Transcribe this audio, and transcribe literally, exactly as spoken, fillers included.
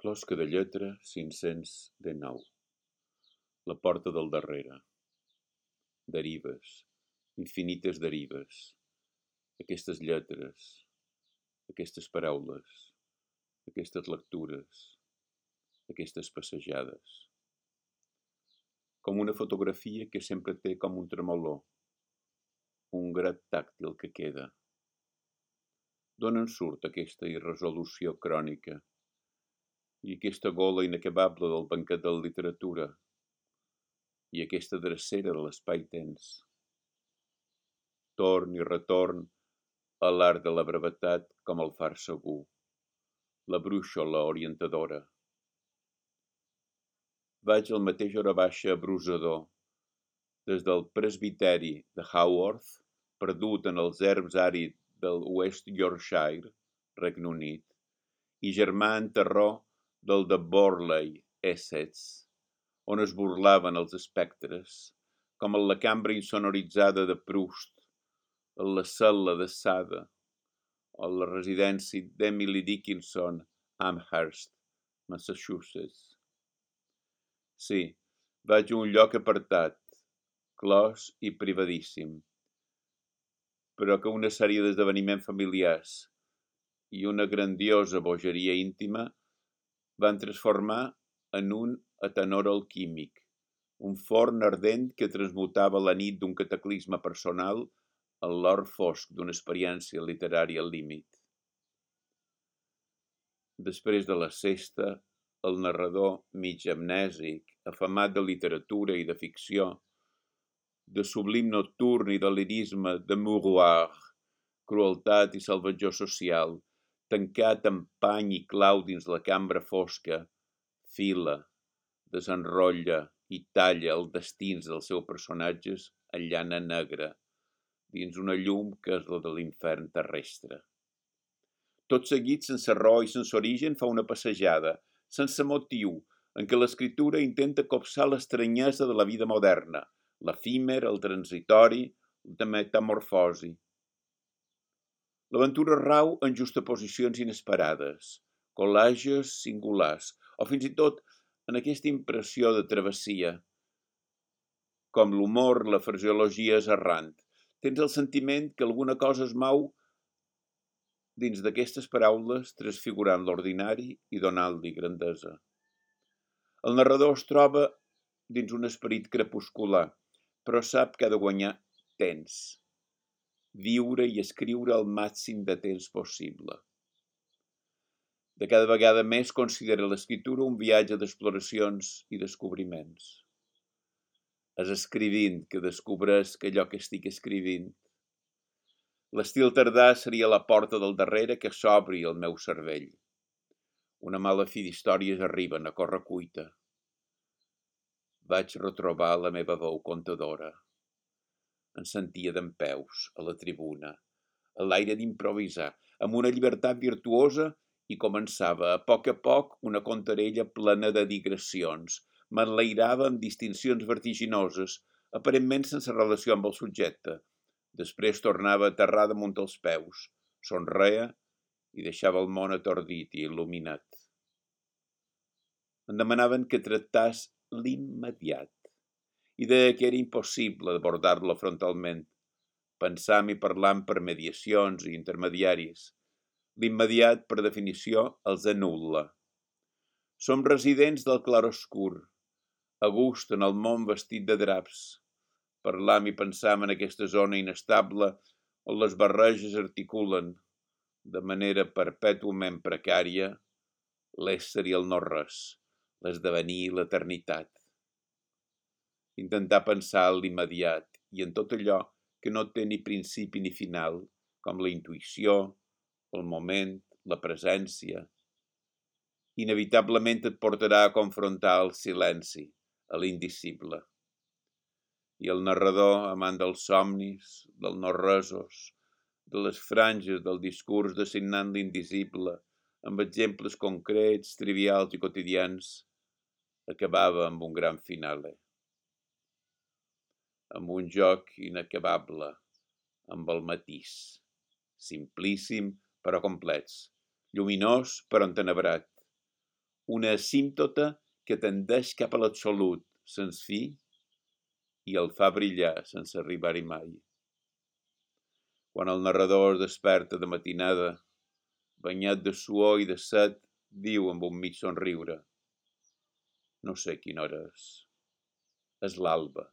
Closca de lletra cinc-cents dinou. La porta del darrere. Derives, infinites derives. Aquestes lletres, aquestes paraules, aquestes lectures, aquestes passejades. Com una fotografia que sempre té com un tremolor, un grat tàctil que queda. D'on en surt aquesta irresolució crònica i aquesta gola inacabable del banquet de la literatura i aquesta drecera de l'espai tens? Torn i retorn a l'art de la brevetat com el far segur, la brúixola orientadora. Vaig al mateix hora baixa abrusador, des del presbiteri de Haworth, perdut en els erms àrids del West Yorkshire, Regne Unit, i germà en terror del de Borley, Essex, on es burlaven els espectres, com en la cambra insonoritzada de Proust, en la cel·la de Sada, o en la residència d'Emily Dickinson, Amherst, Massachusetts. Sí, vaig a un lloc apartat, clos i privadíssim, però que una sèrie d'esdeveniments familiars i una grandiosa bogeria íntima van transformar en un atenor alquímic, un forn ardent que transmutava la nit d'un cataclisme personal en l'or fosc d'una experiència literària al límit. Després de la sesta, el narrador mig amnèsic, afamat de literatura i de ficció, de sublim nocturn i de lirisme de mouroir, crueltat i salvatjor social, tancat amb pany i clau dins la cambra fosca, fila, desenrotlla i talla els destins dels seus personatges en llana negra, dins una llum que és la de l'infern terrestre. Tot seguit, sense raó i sense origen, fa una passejada, sense motiu, en què l'escriptura intenta copsar l'estranyesa de la vida moderna, l'efímer, el transitori, la metamorfosi. L'aventura rau en justaposicions inesperades, col·lages singulars, o fins i tot en aquesta impressió de travessia. Com l'humor, la fraseologia és errant. Tens el sentiment que alguna cosa es mou dins d'aquestes paraules, transfigurant l'ordinari i donant-li grandesa. El narrador es troba dins un esperit crepuscular, però sap que ha de guanyar temps, viure i escriure el màxim de temps possible. De cada vegada més considera l'escriptura un viatge d'exploracions i descobriments. És escrivint que descobreix allò que estic escrivint. L'estil tardà seria la porta del darrere que s'obri al meu cervell. Una mala fi d'històries arriben a correcuita. Vaig retrobar la meva veu contadora. Em sentia dempeus a la tribuna, a l'aire d'improvisar, amb una llibertat virtuosa i començava a poc a poc una contarella plena de digressions. M'enlairava amb distincions vertiginoses, aparentment sense relació amb el subjecte. Després tornava a aterrar damunt els peus, somreia i deixava el món atordit i il·luminat. Em demanaven que tractàs l'immediat i deia que era impossible abordar-lo frontalment, pensant i parlant per mediacions i intermediaris. L'immediat, per definició, els anul·la. Som residents del clarobscur, a gust en el món vestit de draps. Parlam i pensam en aquesta zona inestable on les barreges articulen, de manera perpètuament precària, l'ésser i el no-res, l'esdevenir i l'eternitat. Intentar pensar en l'immediat i en tot allò que no té ni principi ni final, com la intuïció, el moment, la presència, inevitablement et portarà a confrontar el silenci, a l'indicible. I el narrador, amant dels somnis, dels no-resos, de les franges del discurs designant l'indicible, amb exemples concrets, trivials i quotidians, acabava amb un gran finale. Amb un joc inacabable, amb el matís, simplíssim però complets, lluminós però entenebrat, una asímptota que tendeix cap a l'absolut, sense fi, i el fa brillar sense arribar-hi mai. Quan el narrador es desperta de matinada, banyat de suor i de set, diu amb un mig somriure: no sé quina hora és. És l'alba.